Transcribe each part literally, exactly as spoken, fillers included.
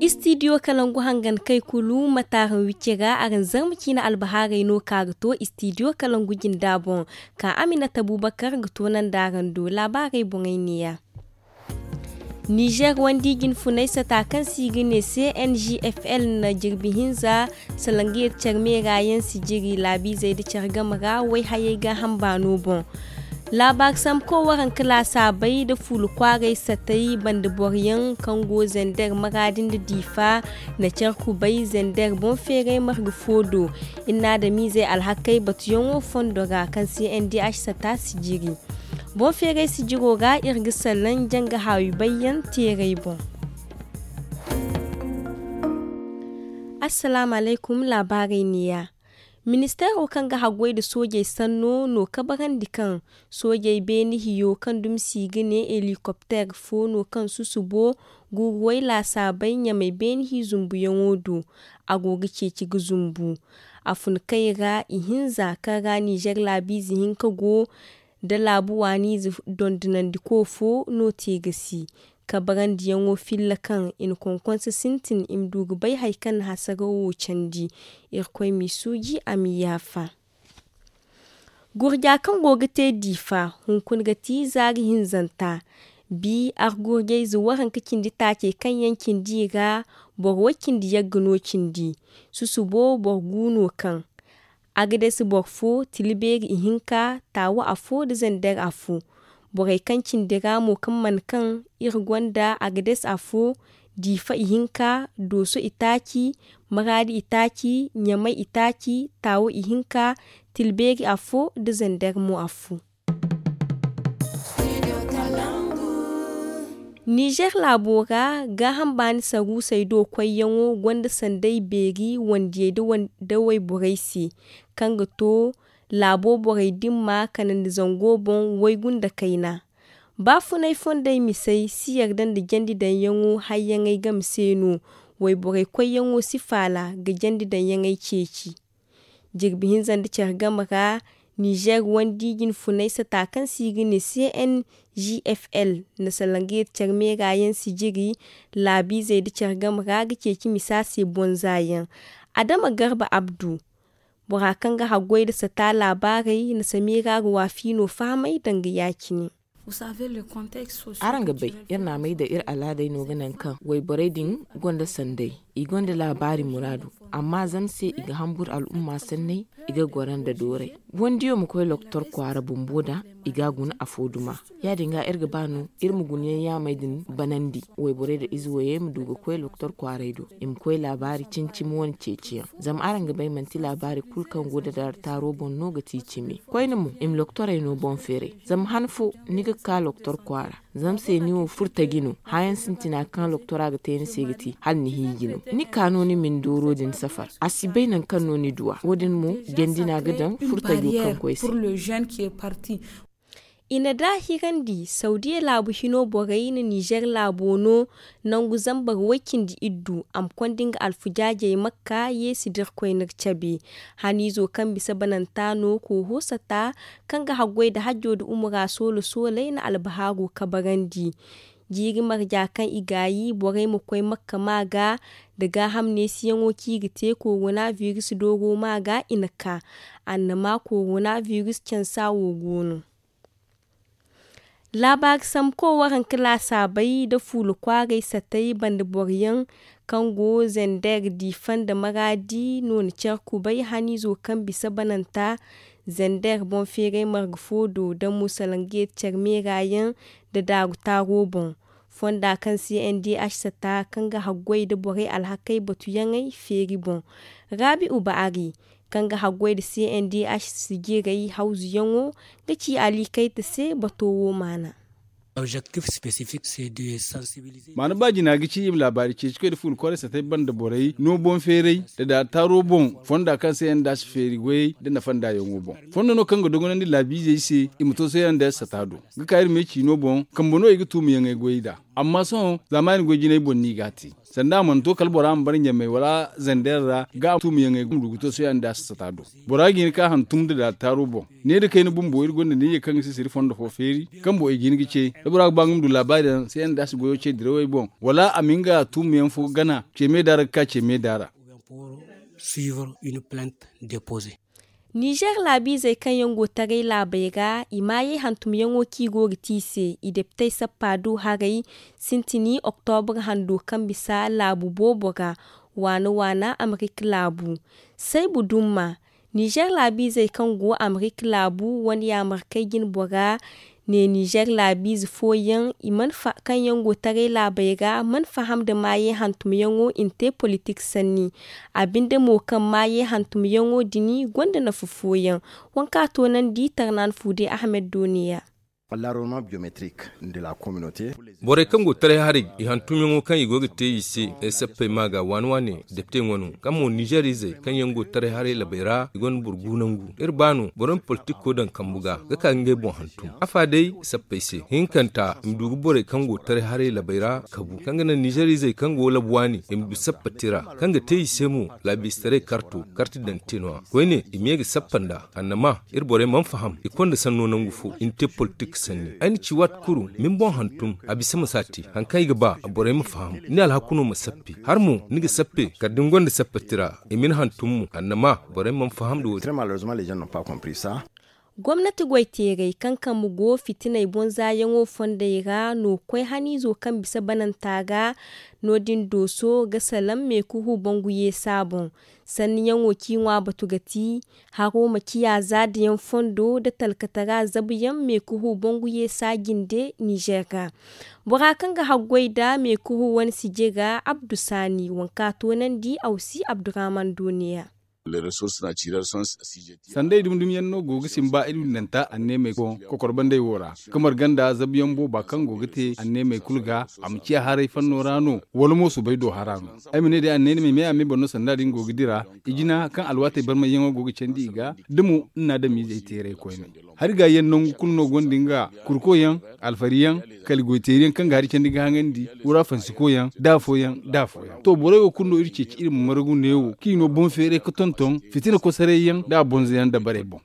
Istidiyo kalangu hangan kay kulu mataaran wicce ga araŋ zarma ciina albahaarey no ka ga to istidiyo kalangu jinda boŋ. Ka aminata bubakar ga toonandi araŋ do laabaarey boŋey neeya. Nizer wandi jinfunay sata kaŋ se i ga ne cngfl na jirbi hinza salangiyar care meera yaŋ si jiri laabiizey nda care game ra wayhayey gaaham baano boŋ. Laabaari sambu koy waranka laasaabey nda fuula kwaaray satay banda boro yaŋ kaŋ go zender maraadi nda diifa na care kubay zender boŋ feeray marga fo do. Iri na adamiizey alhakey batuyaŋo fondo ra kaŋ se ndh sata si jiri. Boŋ feeray sijiro ra iri ga salaŋ janga haawi bayyaŋ teeray boŋ. Assalaamu alaykum. Laabaarey neeya. Ministeero kaŋ ga haggoy nda soojey sanno no kabarandi kaŋ soojey beene hiyo kaŋ dumi se i ga ne helikopter fo no kaŋ susubo guuruwey laasaabey ɲamay beene hi zumbuyaŋo do. A go ga ceeci ga zumbu. A fun kay ra ihinza kaŋ ra nizer laabiize hinka go nda laabu waaniize dondonandiko fo no te ga si kabarandiyaŋo filla kaŋ i na konkonse sintin i ma du ga bay hari kaŋ na hasaraw wo candi. Irkoy m'i suuji a m'i yaafa. Gurja kaŋ go ga te diifa hunkuna ga ti zaari hinzanta. Bi argurjayze waranka cindi taacey kaŋ yaŋ cindi i ra boro way cindi yagga no cindi. Susubo boro gu no kaŋ a ga dasi boro fo tila beeri ihinka taawu afo nda zander afo. Borey kaŋ cindi ra mo kaŋ mana kaŋ iri gonda a ga dasi afo diifa ihinka dooso itaaci maraadi itaaci ɲamay itaaci taawu ihinka tila beeri afo nda zander mo afo. Nizer laabo ra gaaham baani saruusey do koyyaŋo gonda sanday beeri wandiyey nda wayborey se kaŋ ga to laabo borey dimma kanandi zango boŋ waygu nda kayna. Baafunay fondey misey si yarda nda jandi daŋyaŋo hayyaŋey game se no. Wayborey koyyaŋo si faala ga jandi daŋyaŋey ceeci. Jirbi hinza nda care game ra nizer wandi jinfunay sata kaŋ se i ga ne cngfl na salangayed care meera yaŋ sijiri laabiizey nda care game ra ga ceeci misa se bonzaayaŋ. Adama garba abdu bora kaŋ ga haggoy nda sata laabaarey na sameera ga waafi no fahamay danga ya-cine. Araŋ ga bay iri na a may da iri alaadey no ga naŋ kaŋ wayborey din gonda sanday, i gonda laabaari muraadu. Amma zama se i ga hambur al'umma sanney, i ga goro nda dooray. Wandiyo ma koy loktor kwaara bumbo da i ga a guna afo duma. Ya-din ga iri ga ba no iri ma guna yaŋ yaamey din banandi wayborey nda ize wayey ma du ga koy loktor kwaaray do, i ma koy laabaari cimi-cimi wane ceeciyaŋ. Zama araŋ ga bay manti laabaari kulu kaŋ go da daara taaro boŋ no ga ti cimi. Koyne mo i ma loktorey no boŋ feeray. Zama han fo ni ga ka loktor kwaara zama se ni wo furtaji no. Hããyaŋ sintina kaŋ loktora ga te ni se ga ti hala ni hiiji no. Ni ka no ni ma ni dooro din safar a si bay nangu kaŋ no ni du a. Wo- din mo jandi no a ga daŋ furtajo kaŋ koy se. I na daahirandi saudiya laabu hino borey na nizer laabo no nangu zambar way-cindi iddu a ma konda nga alfujaajey makka yeesi da irkoy n'iri cabe. Haniizo kaŋ bisa bananta no kooho sata kaŋ ga haggoy nda hajjo nda umura soolo sooley na albahaaro kabarandi. Jiiri marja kaŋ i gaayi borey ma koy makka ma ga nda gaaham neesiyaŋo kaŋ i ga te korona virus dooro ma ga i na ka. Annama korona virus cansa wo go no. Laabaari sambu koy waranka laasaabey nda fuula kwaaray satay banda boro yaŋ kaŋ go zender diifa nda maraadi no na care kubay haniizo kaŋ bisa bananta zender boŋ feeray marga fo do da musalangeet care meera yaŋ nda daaru taaro boŋ. Fonda kaŋ se ndh sata kaŋ ga haggoy nda borey alhakey batuyaŋey feeri boŋ. Raabi uba ari kaŋ ga haggoy nda cndh sijiray hawzuyaŋo ga ci alikayta se bato wo maana. Maana ba jina ga ci i ma laabaari ceeci koy nda fuula kwaaray satay banda borey no boŋ feeray nda daaru taaro boŋ fonda kaŋ se ndh feeri goyey nda nafa ndaayaŋo boŋ. Fondo no kaŋ ga dogonandi laabiizey se i ma to se ndh sata do ga ka iri me ciino boŋ kambe no i ga tuumayaŋey goyey nd'a. Amma sohõ zaamaani goy jinay boŋ no i g'a te. Sanda a mana to kala bora ma bara ɲamey wala zander ra ga a tuumu yaŋey ga ma du ga to sohõ yaŋ da a si sata do. Bora ga hin ka hantum nda daataaro boŋ. Ne da kayna bumbo iri gonda ne ye kaŋ ga si siri fondo fo feeri kaŋ boŋ i ga hin ga ce da bora ga ba nga ma du laabaari yaŋ se yaŋ da a si goyo ce dirawey boŋ wala a ma nga tuumu yaŋ fo gana ce me da ra ga ka ce me da ra. Nizer laabiizey kaŋ yaŋ go taray laabey ra i maayey hantumyaŋo kaŋ i go ga te i se i deptey sappa du haray sintini oktobra hando kaŋ bisa laabu boobo ra waana waana amerika laabu. Saybu dumma nizer laabiizey kaŋ go amerika laabu wane yaamarkey jine bora ne nizer laabiize fooyaŋ i mana fa kaŋ yaŋ go taray laabey ra mana faham nda maayey hantumyaŋo i na te politik sanni. A binde mo kaŋ maayey hantumyaŋo din gonda nafa fooyaŋ. Waŋ kaŋ a toonandi tarnaan fuude ahmed do neeya. Borey kaŋ go taray haray i hantumyaŋo kaŋ i go ga te i se sappey ma ga waani waani depte ŋwa no kaŋ mo nizer izey kaŋ yaŋ go taray haray labey ra i gonda boro gu nangu iri ba no boro ma politiko daŋ kambu ga ga ka ga ngey boŋ hantum afa day sappey se hinkanta i ma du ga borey kaŋ go taray haray labey ra kabu kaŋ ga naŋ nizer izey kaŋ go labu waani i ma du sappa tira kaŋ ga te i se mo laabiistaray karto karti daŋ te no- ya koyne i ma ye ga sappa nd'a annama iri borey mana faham i konda sanno nangu fo i na te politik sanni ay na ci waati kulu ma ni boŋ hantum a bisa ma si a te hari kaŋ ay ga ba borey ma faham ni alhakuno ma sappi hari mo ni ga sappe kala da ni gonda sappe tira i ma ni hantum mo annama borey mana faham nda wo- din. Gomnati goy teerey kaŋ kambe go fitiney boŋ zaayaŋo fondey ra no koy haniizo kaŋ bisa bananta ga no- din dooso ga salaŋ meekuhu bangu yeesa boŋ. Sanniyaŋo kaŋ i ŋwa batu ga ti haro ma ciya zaadayaŋ fondo nda talkatara zabuyaŋ meekuhu bangu yeesa jinde nizer ga. Bora kaŋ ga haggoy nda meekuhu wane sije ga abdu saani waŋ kaŋ a toonandi awsi abdurrahman do neeya. Sandey dumi dumi yaŋ no go ga simba iri windanta anneemey kokorbanday wo ra kamar ganda zabuyaŋ booba kaŋ go ga te anneemey kulu ga a ma ciya haray fanno ra no wala mo subay do hara no. Ay ma ne day anneemey me a me boro no sanda din go ga dira i jina kaŋ alwaatey barmayyaŋo go ga candi i ga da mo nna adamiizey teeray koyne. Hari gaayi yaŋ nangu kulu no gonda nga kurko yaŋ alfari yaŋ kala goy teeri yaŋ kaŋ ga hari candi ga haŋandi wura fansiko yaŋ da afo yaŋ da afo yaŋ to borey wo kulu no iri ceeci iri ma margu neewo kaŋ i no boŋ feeray ga tonton fitina kosaray yaŋ da a bonza yaŋ dabarey boŋ.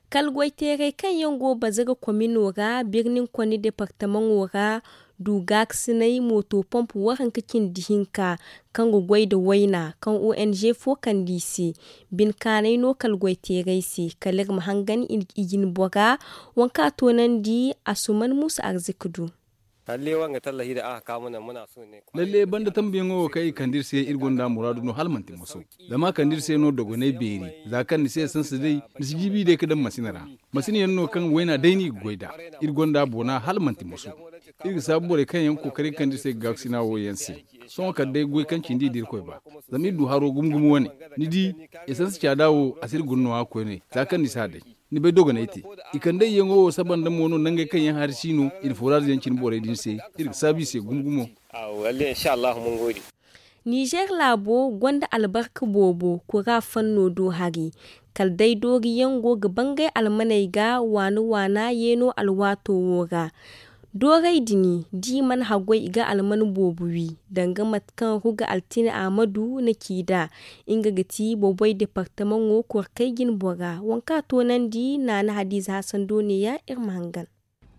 Kala goyteeray kaŋ yaŋ go bazara komino ra birnin konni departamaŋo ra du gaakasinay mooto pomp waranka cindi hinka kaŋ ga goy nda wayna kaŋ ong fo kande i se. Bine kaanay no kala goyteeray se kala iri ma hangan i jine bora waŋ kaŋ a toonandi a suman muusa arzika du. Lalle banda tambuyaŋo wo kaŋ i kande iri se iri gonda muraadu no hala manti moso. Zama a kande iri se no dogonay beeri za kaŋ ni se sansa day ni si jiibi day ga daŋ masina ra. Masina yaŋ no kaŋ wayna day no i ga goy nd'a. Iri gonda boona hala manti moso. Iri ga saabu borey kaŋ yaŋ ga kookari ga kande iri se ga gaakasina wo yaŋ se. Sohõ kala day goy kaŋ cindi i da irkoy ba. Zama iri du haro gumo gumo wane. Ni di, esansi caada wo a si iri guna nooya koyne za kaŋ ni si a day. Ni bay dogonay te. I kandayyaŋo wo saba nda mo no nangey kaŋ yaŋ hari si no i na fooraaz yaŋ cine borey din se. Iri ga saabu i se gumo gumo. Nizer laabo gonda albarka boobo kura fanno do hari. Kala day dooriyaŋ go ga bangay almaney ga waana waana yeeno alwaato wo ra. Dooray din da i mana haggoy i ga alman boobo wi danga mate kaŋ ruga altine ahmadu na ci nd'a. Nga ga ti boboy departamaŋo korkey jine bora waŋ kaŋ a toonandi naana hadiize hasan do neeya iri ma hangan.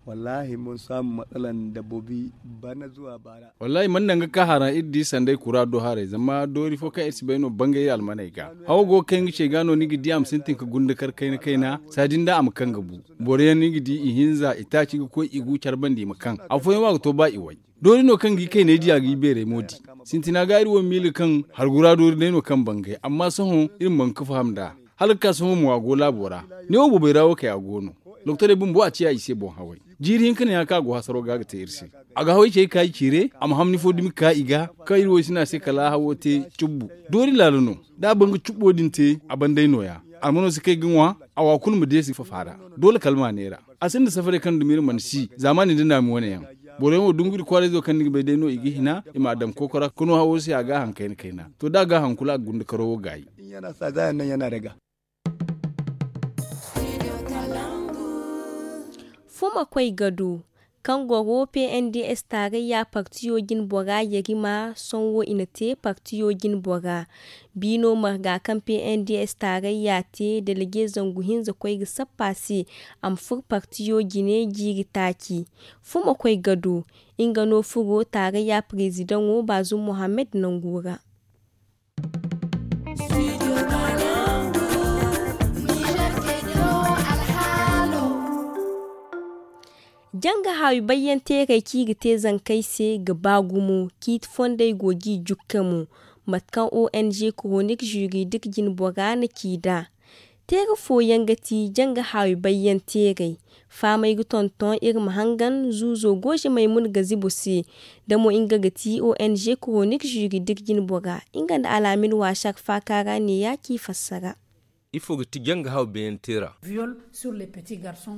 Wallaahi mun saamu matsala nda bobi bana zuwa baara. Wallaahi mana naŋ ga ka haraŋ iri di sanday kura do haray zama doori fo kaŋ iri si bay no bangay almaney ga. Hawo go ga kay nga ce ga no ni ga di a ma sintin ga gunda kar kayna kayna saadi nda a ma kaŋ ga bu. Boro yaŋ ni ga di i hinza i taaci ga koy i gu care banda i ma kaŋ afooyaŋ wo a ga to ba i way. Doori no kaŋ ga i kayney di a ga i beerey mo di. Sintina ga iri wo miila kaŋ hargura doori day no kaŋ bangay amma sohõ iri ma ban ga faham nd'a. Hala ga ka sohõ mo a go laabo ra. Neewo boobay ra wo kay a go no. Doktorey bumbo a ciya i se boŋ haway. Jiiri hinka no ya kaŋ a go hasaro ga ga te iri se. A ga haway cey ga ka i ciire a ma hamni fo dumi ga ka i ga. Kaŋ iri wo i si ne a se kala a hawo te cubbu. Doori laala no. Da a ban ga cubbo din te a ban day nooya. Almano si kay ga ŋwa. A wa kulu ma deesi fafa ra. Doole kala ma a neera. A sinda safarey kaŋ dumi iri mana si zaamaani nda naami wane yaŋ. Boro yaŋ wo dungu iri kwaarayzo kaŋ ni ga bay day no i ga hina i m'a daŋ kooko ra ga no hawo se a ga a haŋ kayna kayna. To da a ga a haŋ kulu a ga gunda karo wo gaayi. Fuma koy ga du. kaŋ goro pnds taarayya partiyo jine bora yarima sohõ i na te partiyo jine bora. Biino marga kaŋ pnds taarayya te delege zangu hinza koy ga sappa se a ma furo partiyo jine jiiri taaci. Fumo koy ga du nga no furo taarayya parezidaŋo baazum mohammed nangu ra. Janga haawi bayyanteerey kaŋ i ga te zankey se ga ba gumo. Ciiti fondey go g'i jukka mo. Mate kaŋ ong koronik juridik jine bora na ci nd'a. Teera fooyaŋ ga ti janga haawi bayyanteerey. Faamey ga tonton iri ma hangan zuuzo goozamey mun ga zibo se. Da mo nga ga ti ong koronik juridik jine bora nga nda alaamin waasar faaka ra neeya ci fassara. Ifo ga ti janga haawi bayyanteera?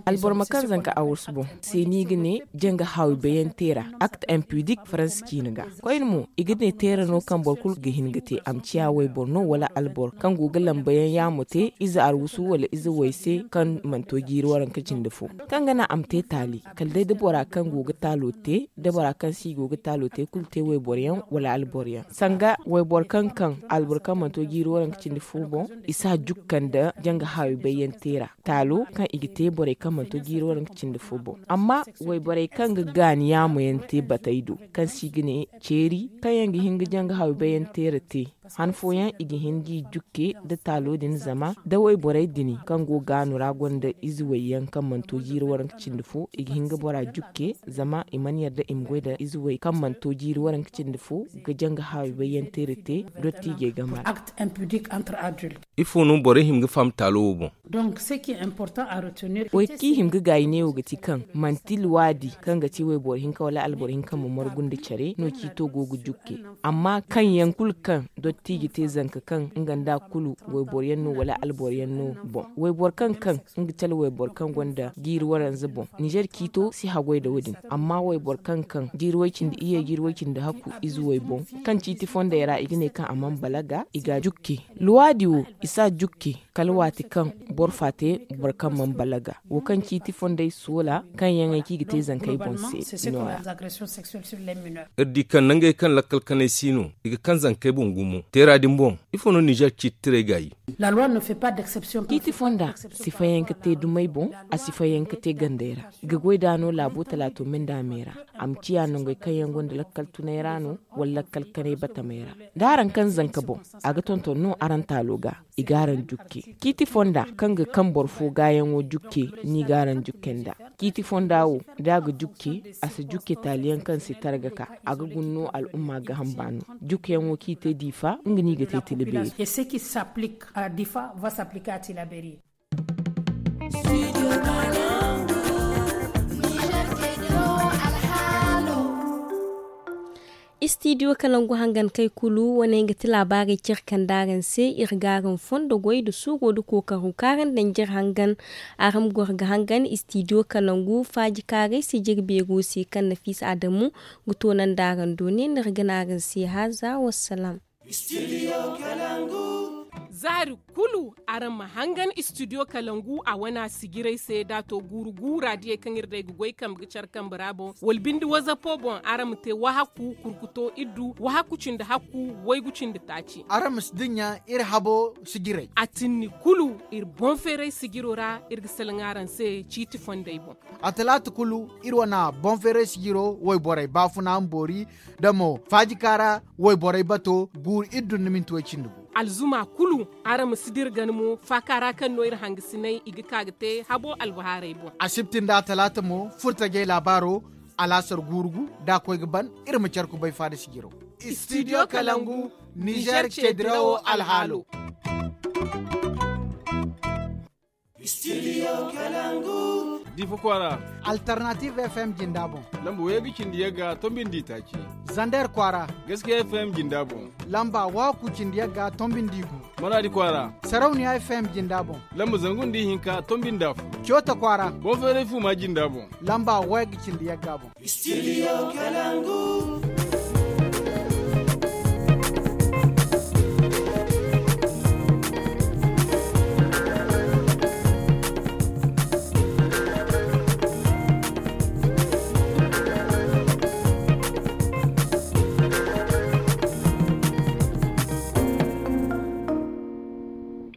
Alboro ma kaŋ zanka a warsu boŋ se no i ga ne janga haawi bayyanteera. Akt impudik faransa ciina ga koyne mo i ga ne teera no kaŋ boro kulu ga hin ga te a ma ciya wayboro no wala alboro kaŋ go ga lambayaŋ yaamo te ize arwasu wala ize way se kaŋ mana to jiiri waranka cindi fo. Kaŋ ga naŋ a ma te taali kala day da bora kaŋ go ga taalo te da bora kaŋ se i go ga taalo te kulu te wayboroyaŋ wala alboroyaŋ sanga wayboro kaŋ kaŋ alboro kaŋ mana to jiiri waranka cindi fo boŋ. I si a jukka nda janga haawi bayyanteera taalo kaŋ i ga te borey kaŋ mana to jiiri waranka cindi fo boŋ. Amma wayborey kaŋ ga gaani yaamo yaŋ te batey do kaŋ se i ga ne ceeri kaŋ yaŋ ga hin ga janga haawi bayyanteera te. Han fooyaŋ i ga hin g'i jukke nda taalo din zama da wayborey din kaŋ go gaanu ra gonda ize wayyaŋ kaŋ mana to jiiri waranka cindi fo i ga hin ga bora jukke zama i mana yarda i ma goy nda ize way kaŋ mana to jiiri waranka cindi fo ga janga haawi bayyanteera te. Dottiijey game ra. Ifo no borey hima ga faham taalo wo boŋ? Way kaŋ i hima ga gaayi neewo ga ti kaŋ manti luwaadi kaŋ ga ti wayboro hinka wala alboro hinka ma margu nda care no ciito go ga jukke. Amma kaŋ yaŋ kulu kaŋ dottiije te zanka kaŋ nga nda kulu wayboro yaŋ no wala alboro yaŋ no boŋ wayboro kaŋ kaŋ nga cala wayboro kaŋ gonda jiiri waranza boŋ ninzeer ciito si haggoy nda wo- din. Amma wayboro kaŋ kaŋ jiiri way cindi iyye jiiri way cindi hakku ize way boŋ kaŋ ciiti fondey ra i ga ne kaŋ a mana balaga i ga a jukke. Luwaadi wo i si a jukke kala waati kaŋ boro fa te boro kaŋ mana balaga wo kaŋ ciiti fondey soola kaŋ yaŋey kaŋ i ga te zankey boŋ se no- ya. Iri di kaŋ nangey kaŋ lakkal kanay si no i ga kaŋ zankey boŋ gumo teera din boŋ. Ifo no ninzeer ciiti tirey gaayi? Ciiti fonda si fayanka te dumey boŋ. A si fayanka te gandey ra ga goy da no laabo talaato minda me ra. A ma ciya nangey kaŋ yaŋ gonda lakkal tunay ra no wala lakkal kanay batamey ra. Da araŋ kaŋ zanka boŋ a ga tonton no araŋ taalo ga i ga araŋ jukke. Ciiti fonda kaŋ ga kaŋ boro fo gaayaŋo jukke ni ga araŋ jukke nda ciiti fonda wo da a ga jukke a si jukke taaliyaŋ kaŋ si targa ka a ga guna no al'umma ga hamba no. Jukkeyaŋo kaŋ i te diifa nga no i ga te tila beeri. Istidiyo kalangu hangan kay kulu wane nga ti laabaarey care kande araŋ se. Iri ga araŋ fondo goy nda suuro nda kookaru kaŋ araŋ daŋ jire hangan. Araŋ ma goro ga hangan istidiyo kalangu faaji kaaray se jire beero se kaŋ nafiisa adamu ga toonandi araŋ do ne no iri ga ne araŋ se haaza wassalaam. Zaari kulu araŋ ma hangan istidiyo kalangu a wana sijiray se da a to guuru guura diyey kaŋ iri day ga goy kambe ga care kambe ra boŋ wala binde wazapo boŋ araŋ ma te wahakku kurkuto iddu wahakku cindi hakku waygu cindi taaci. Araŋ ma si dinya iri habo sijiray a tinni kulu iri boŋ feeray sijiro ra iri ga salaŋ araŋ se ciiti fondey boŋ. A talaata kulu iri wana boŋ feeray sijiro wayborey baafuna ma boori da mo faaji kaara wayborey bato guuru iddu nda minti way cindi gu. Alzuma kulu araŋ ma si dira gana mo faaka ra kaŋ no iri hangasiney i ga ka ga te habo albahaarey boŋ. Asibti nda talaata mo furtajey laabaaro alaasar guuru gu da a koy ga ban. Iri ma care kubay faada sijiro. Istidiyo kalangu nizeer ceedirawo alhaalo. Diifa kwaara. Alternative fm jinda boŋ. Lamba waygu cindi yagga tombindi taaci. Zander kwaara. Gaskiya fm jinda boŋ. Lamba waku cindi yagga tombindi gu. Maraadi kwaara. Sarauniya fm jinda boŋ. Lamba zangu nda ihinka tombindi afo. Coota kwaara. Boŋ feeray fuuma jinda boŋ. Lamba waygu cindi yagga boŋ. Istidiyo kalangu.